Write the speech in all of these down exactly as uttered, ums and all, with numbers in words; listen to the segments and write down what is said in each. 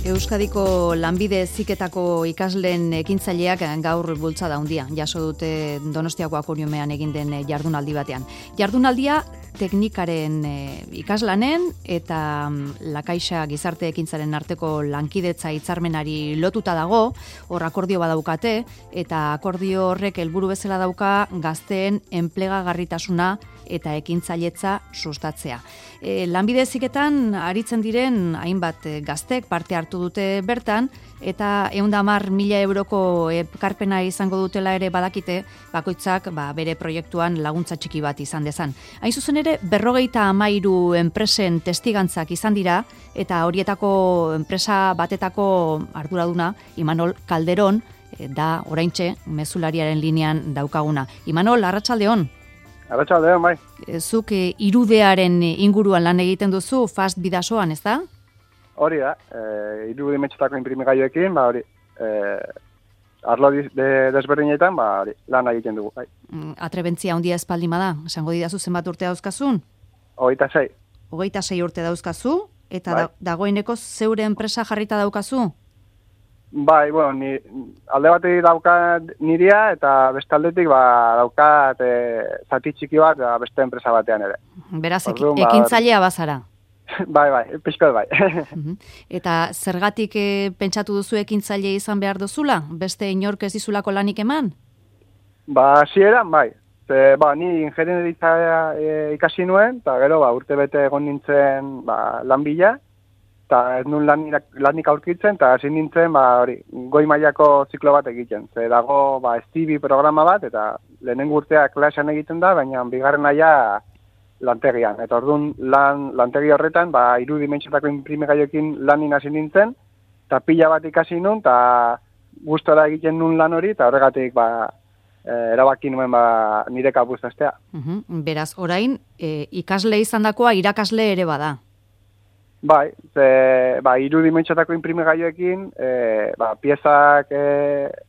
Euskadiko lanbide heziketako ikasleen ekintzaileak gaur bultzada handia jaso dute Donostiako Akoriumean egin den jardunaldi batean. Jardunaldia teknikaren ikaslanen eta La Caixa gizarte ekintzaren arteko lankidetza hitzarmenari lotuta dago, hor akordio badaukate eta akordio horrek helburu bezala dauka gazteen enplegagarritasuna eta ekintzailetza sustatzea. E, lanbide heziketan aritzen diren hainbat gaztek parte hartu dute bertan eta ehun eta hamar mila euroko ekarpena izango dutela ere badakite bakoitzak ba, bere proiektuan laguntza txiki bat izan dezan. Hain zuzen ere berrogeita hamairu enpresen testigantzak izan dira eta horietako enpresa batetako arduraduna Imanol Calderón da oraintxe mezulariaren linean daukaguna. Imanol, arratsaldeon. Arratsaldeon, bai. Zuk e, irudearen inguruan lan egiten duzu Fast Bidasoan, ez da? Hori da, e, irudimetxetako inprimigailuekin, ba hori, e, arlo de, desberdinetan, ba hori, lan egiten dugu, bai. Atrebentzia handia espaldima da, esango didazu zenbat urte dauzkazun? Hogeita sei. Hogeita sei urte dauzkazu, eta bai. da, dagoeneko zeure enpresa jarrita daukazu? Bai, bueno, ni, alde batetik daukat niria eta beste aldetik ba, daukat e, zati txiki bat ba, beste enpresa batean ere. Beraz, Orduan, ba, ekintzailea bazara? Bai, bai, pixkat bai. Eta zergatik e, pentsatu duzu ekintzaile izan behar duzula? Beste inork ez dizulako lanik eman? Ba, zieran, bai. Ze, ba, ni ingenieritza e, ikasi nuen, eta gero ba, urte bete egon nintzen ba, lan bila, eta ez nun lanik, lanik aurkitzen, eta hasi nintzen, ba, hori, goi mailako ziklo bat egiten. Ze dago, ba, S T B programa bat, eta lehenengo urtea klasean egiten da, baina bigarren naia lantegian. Eta orduan, lan, lantegi horretan, ba, irudimentxetako inprimigaioekin lanin hasi nintzen, eta pila bat ikasi nun, eta gustora egiten nun lan hori, eta horregatik, ba, e, erabaki nuen, ba, nire kapuztastea. Uh-huh. Beraz, orain, e, ikasle izandakoa irakasle ere bada. Bai, ze, ba, irudimentxetako inprimigaioekin, e, ba, piezak e,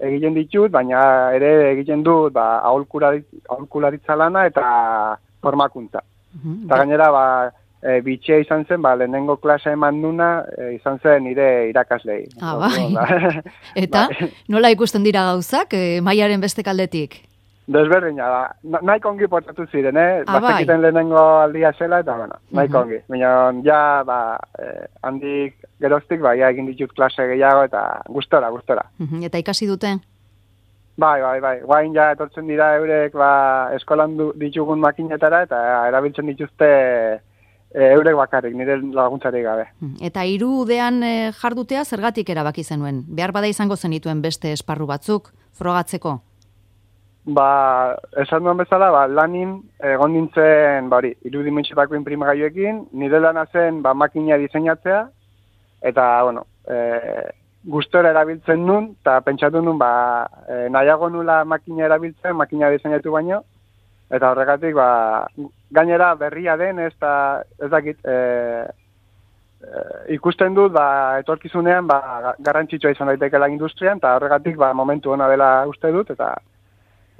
egiten ditut, baina ere egiten dut ba, aholkularitza lana eta formakuntza. Uh-huh. Eta gainera, ba, e, bitxea izan zen, ba, lehenengo klasa eman duna, e, izan zen nire irakaslei. Ah, bai. Eta, bai. Nola ikusten dira gauzak, e, mailaren beste kaldetik? Desberdina da. Na, nahiko ongi portatu ziren, eh? Ah, Bazekiten bai. Lehenengo aldia zela, eta, bueno, nahiko uh-huh. ongi. Baina, ja, ba, eh, handik geroztik, ba, ja, egin ditut klase gehiago, eta gustora, gustora. Uh-huh. Eta ikasi dute? Bai, bai, bai. Guain ja etortzen dira eurek, ba, eskolan du, ditugun makinetara, eta erabiltzen dituzte e, eurek bakarrik, nire laguntzarik gabe. Eta hirudean e, jardutea zergatik erabaki zenuen? Behar bada izango zenituen beste esparru batzuk, frogatzeko? Ba, esan duen bezala, ba, lanin egon nintzen, ba, hori, irudimentxetako inprimagailuekin, nire lana zen, ba, makina diseinatzea, eta, bueno, e, gustora erabiltzen nun, eta pentsatu nun, ba, e, nahiago nula makina erabiltzen, makina diseinatu baino, eta horregatik, ba, gainera berria den, ez da, ez dakit, e, e, ikusten dut, ba, etorkizunean, ba, garrantzitsua izan daitekela industrian, eta horregatik, ba, momentu ona dela uste dut, eta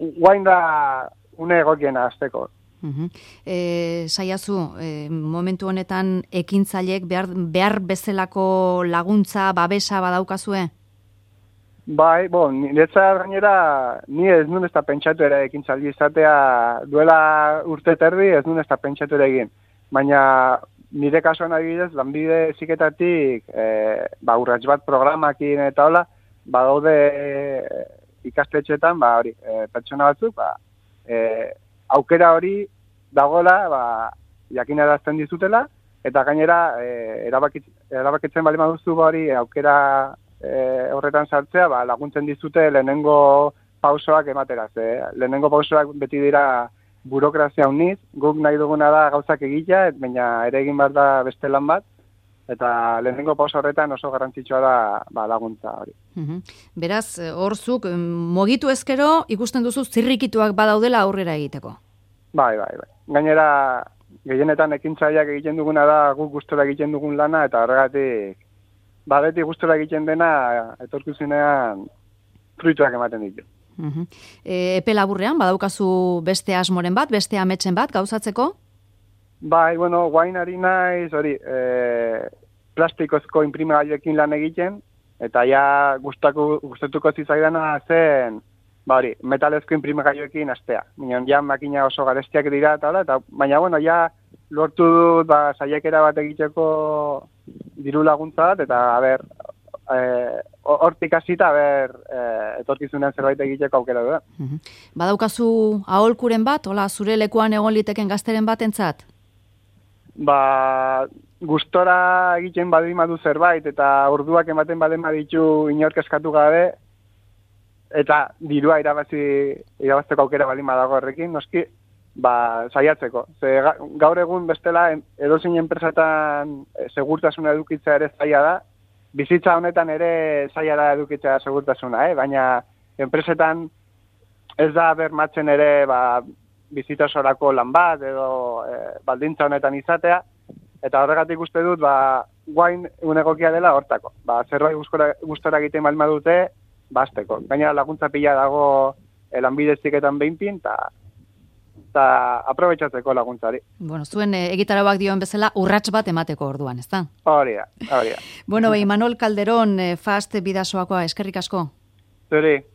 guain da une egokiena azteko. Uh-huh. E, saiazu, e, momentu honetan ekintzaileek behar, behar bezalako laguntza, babesa badaukazue? Bai, bon, niretzat gainera, ni ez nun ez da pentsatu ere ekintzaile izatea duela urte terdi, ez nun ez da pentsatu ere egin. Baina nire kasuan adibidez, lanbide heziketatik, e, ba, urrats bat programakin eta hola, badaude e, ikastetxetan, ba, hori, e, pertsona batzuk, ba, e, aukera hori dagoela, ba, jakinarazten dizutela, eta gainera, e, erabakit, erabakitzen bali maduzu, ba, hori, aukera e, horretan sartzea, ba, laguntzen dizute lehenengo pausoak emateraz. E, lehenengo pausoak beti dira burokrazia uniz, guk nahi duguna da gauzak egitea, baina ere egin behar da beste lan bat, eta lehenengo pauso horretan oso garrantzitsua da ba, laguntza hori. Uhum. Beraz, horzuk, mogitu ezkero, ikusten duzu zirrikituak badaudela aurrera egiteko? Bai, bai, bai. Gainera, gehienetan ekintzaileak egiten duguna da guk gustora egiten dugun lana, eta horregatik, ba, beti gustora egiten dena, etorkizunean fruituak ematen ditu. Uhum. E, epe laburrean, badaukazu beste asmoren bat, beste ametsen bat, gauzatzeko? Bai, bueno, guain ari naiz, hori, e, plastikozko imprimagailuekin lan egiten, eta ja gustako, gustatuko zitzaidana zen, ba hori, metalezko imprimagailuekin astea. Minon, ja makina oso garestiak dira, eta, eta baina, bueno, ja lortu dut, ba, saiakera bat egiteko diru laguntza bat, eta, a ber, hortik hasita, a ber, etorkizunean zerbait egiteko aukera du. Uh-huh. Badaukazu aholkuren bat, hola, zure lekuan egon liteken gazteren batentzat? Ba, gustora egiten badin badu zerbait, eta orduak ematen badin baditu inork eskatu gabe, eta dirua irabazi, irabazteko aukera balin badago horrekin, noski, ba, saiatzeko. Ze, gaur egun bestela, edozein enpresetan segurtasuna edukitzea ere zaila da, bizitza honetan ere zaila da edukitzea segurtasuna, eh? Baina enpresetan ez da bermatzen ere ba, bizitza osorako lan bat edo e, baldintza honetan izatea, eta horregatik uste dut ba, guain unegokia dela hortako. Ba, zerbait gustora egiten balma dute, basteko. Gainera laguntza pila dago Lanbide Heziketan behinpin, eta eta aprobetxatzeko laguntzari. Bueno, zuen e, egitarauak dioen bezala urrats bat emateko orduan, ezta? Hori da, hori da. Bueno, Imanol Calderón, e, Fast Bidasoakoa, eskerrik asko. Zuri.